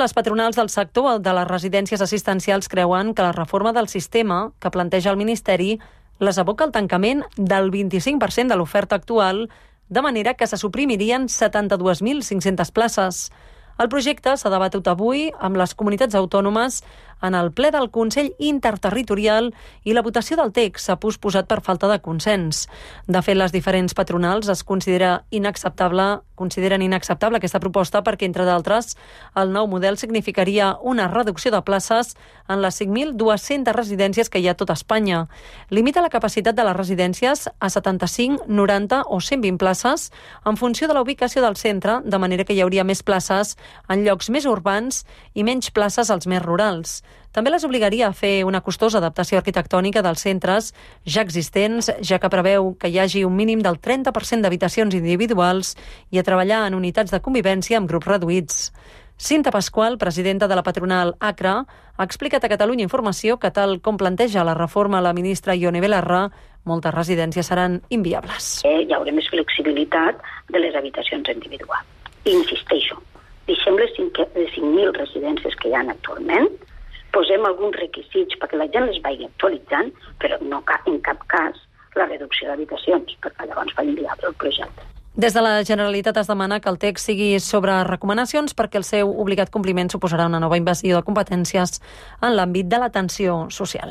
les patronals del sector de les residències assistencials creuen que la reforma del sistema que planteja el Ministeri les aboca al tancament del 25% de l'oferta actual, de manera que se suprimirien 72.500 places. El projecte s'ha debatut avui amb les comunitats autònomes en el ple del Consell Interterritorial i la votació del text s'ha posposat per falta de consens. De fet, les diferents patronals consideren inacceptable aquesta proposta perquè, entre d'altres, el nou model significaria una reducció de places en les 5.200 residències que hi ha a tot Espanya. Limita la capacitat de les residències a 75, 90 o 120 places en funció de la ubicació del centre, de manera que hi hauria més places en llocs més urbans i menys places als més rurals. També les obligaria a fer una costosa adaptació arquitectònica dels centres ja existents, ja que preveu que hi hagi un mínim del 30% d'habitacions individuals i a treballar en unitats de convivència amb grups reduïts. Cinta Pasqual, presidenta de la patronal ACRA, ha explicat a Catalunya Informació que, tal com planteja la reforma la ministra Ione Belarra, moltes residències seran inviables. Hi haurà més flexibilitat de les habitacions individuals. Insisteixo, deixem les 5.000 residències que hi ha actualment, posem alguns requisits perquè la gent les vagi actualitzant, però no en cap cas la reducció d'habitacions, perquè llavors fa inviable el projecte. Des de la Generalitat es demana que el text sigui sobre recomanacions perquè el seu obligat compliment suposarà una nova invasió de competències en l'àmbit de l'atenció social.